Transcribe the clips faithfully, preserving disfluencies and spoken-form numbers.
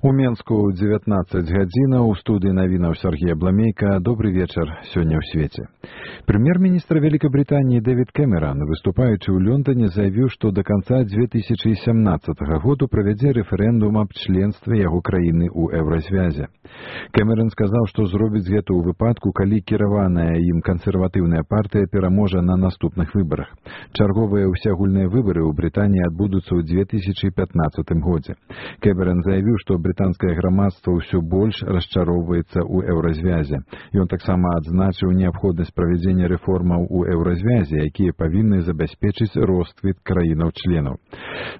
У Менску дзевятнаццаць гадзінаў, у студыі навінаў Сергея Бламейка. Добрый вечер сёння ў свеце. Прэм'ер-міністр Великобритании Дэвид Кэмерон, выступаючы ў Лондоне, заявіў, што да канца две тысячи семнадцатага году правядзе рэферэндум аб членстве яго краіны ў еўразвязе. Кэмерон сказаў, што зробіць гэта ў выпадку, калі кіраваная ім кансерватыўная партыя пераможа на наступных выбарах. Чарговыя ўсеагульныя выбары ў Брытаніі адбудуцца ў две тысячи пятнадцатым годзе. Кэмерон заявіў, што брытанскае грамадства ўсё больш расчароўваецца ў еўразвязе. Ён таксама адзначыў неабходнасць правядзення рэформаў у еўразвязе, якія павінны забяспечыць росквіт краінаў-членаў.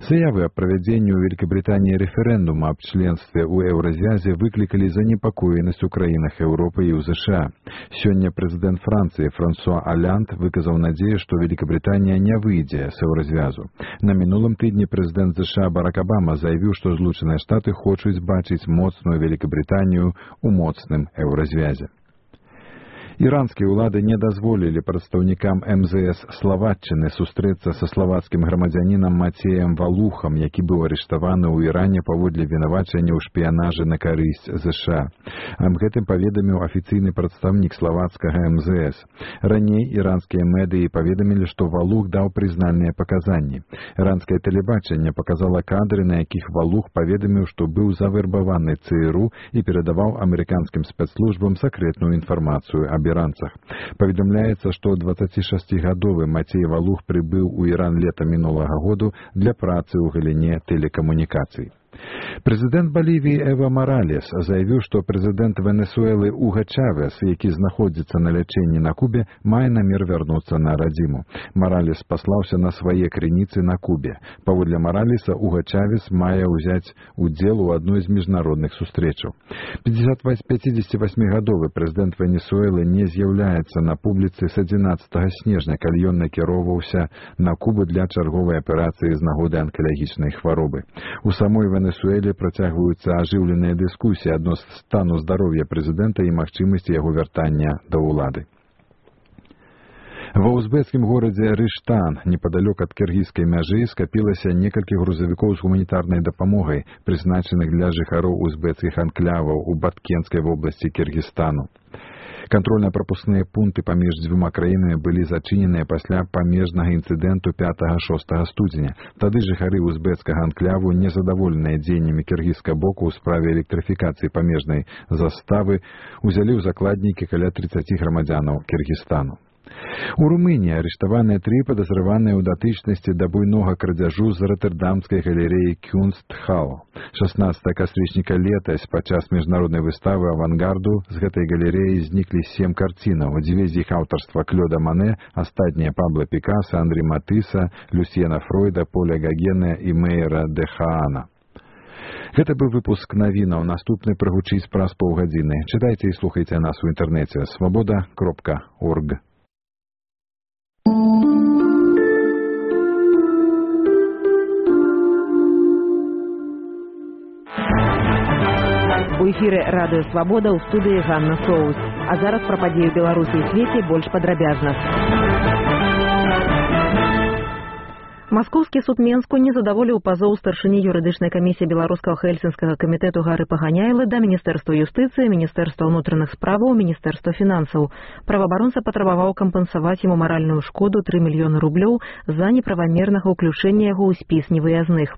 Заявы аб правядзенні ў Великобритании рэферэндума аб членстве ў еўразвязе выклікалі занепакоенасць у краінах Еўропы і ў ЗША. Сёння прэзідэнт Францыі Франсуа Олянд выказаў надзею, што Великобритания не выйдзе з еўразвязу. На мінулым тыдні прэзідэнт ЗША Барак Обама заявіў, што Злучаныя Штаты хочуць бачыць моцную Великобританию у моцным еўразвязе. Іранскія ўлады не дазволілі прадстаўнікам эм зэ эс Словаччыны сустрэцца са славацкім грамадзянінам Мацеем Валухам, які быў арыштаваны ў Іране паводле вінавачання ў шпіянажы на карысць ЗША. Аб гэтым паведаміў афіцыйны прадстаўнік славацкага эм зэ эс. Раней іранскія медыі паведамілі, што Валух даў прызнальныя паказанні. Іранскае тэлебачанне паказала кадры, на якіх Валух паведаміў, што быў завербаваны ЦРУ і перадаваў амерыканскім спецслужбам сакрэтную інфармацыю аб іранцах. Паведамляецца, што дваццацішасцігадовы Мацей Валух прыбыў у Іран лета мінулага году для працы ў галіне тэлекамунікацый. Прэзідэнт Балівіі Эва Маралес заявіў, што прэзідэнт Венесуэлы Уга Чавес, які знаходзіцца на лячэнні на Кубе, мае намер вярнуцца на радзіму. Маралес паслаўся на свае крыніцы на Кубе. Паводле Маралеса, Уга Чавес мае ўзяць удзел у адной з міжнародных сустрэчаў. пяцідзесятвасьмігадовы прэзідэнт Венесуэлы не з'яўляецца на публіцы з адзінаццатага снежня, калі ён накіроўваўся на Кубу для чарговай аперацыі з нагоды анкалагічнай хваробы. У самой Венесуэле працягваюцца ажыўленыя дыскусіі адносно стану здароўя прэзідэнта і магчымасці яго вяртання да ўлады. Ва узбекскім горадзе Рыштан, непадалёк ад кіргізскай мяжы, скапілася некалькі грузавікоў з гуманітарнай дапамогай, прызначаных для жыхароў узбекскіх анклаваў у Баткенскай вобласці Кіргізстану. Кантрольна-прапускныя пункты паміж дзвюма краінамі былі зачыненыя пасля памежнага інцыдэнту пятага-шостага студзеня. Тады жыхары узбекскага анклаву, незадаволеныя дзеяннямі кіргізскага боку ў справе электрыфікацыі памежнай заставы, узялі ў закладнікі каля трыццаці грамадзянаў Кіргізстану. У Румыніі арыштаваныя тры падазраваныя ў датычнасці да буйнога крадзяжу з ротэрдамскай галерэі Кюнстхал. шаснаццатага кастрычніка летась падчас міжнароднай выставы авангарду з гэтай галерэі зніклі сем карцінаў. Дзве з іх аўтарства Клёда Мане, астатнія Пабло Пікаса, Андрі Матыса, Люсьена Фройда, Поля Гагена і Мейера де Хаана. Гэта быў выпуск навінаў. Наступны прагучыць праз паўгадзіны. Чытайце і слухайце нас у інтэрнэце свабода кропка орг. У эфіры радыё Свабода, ў студыі Ганна Соус. А зараз пра падзеі Беларусі і свеце больш падрабязна. Маскоўскі суд Менску не задаволіў пазоў старшыні юрыдычнай камісіі беларускага хельсінскага камітэту Гары Паганяйлы да Міністэрства юстыцыі, Міністэрства ўнутраных справаў, Міністэрства фінансаў. Праваабаронца патрабаваў кампенсаваць яму маральную шкоду тры мільёны рублёў за неправамернага ўключэння яго ў спіс невыязных.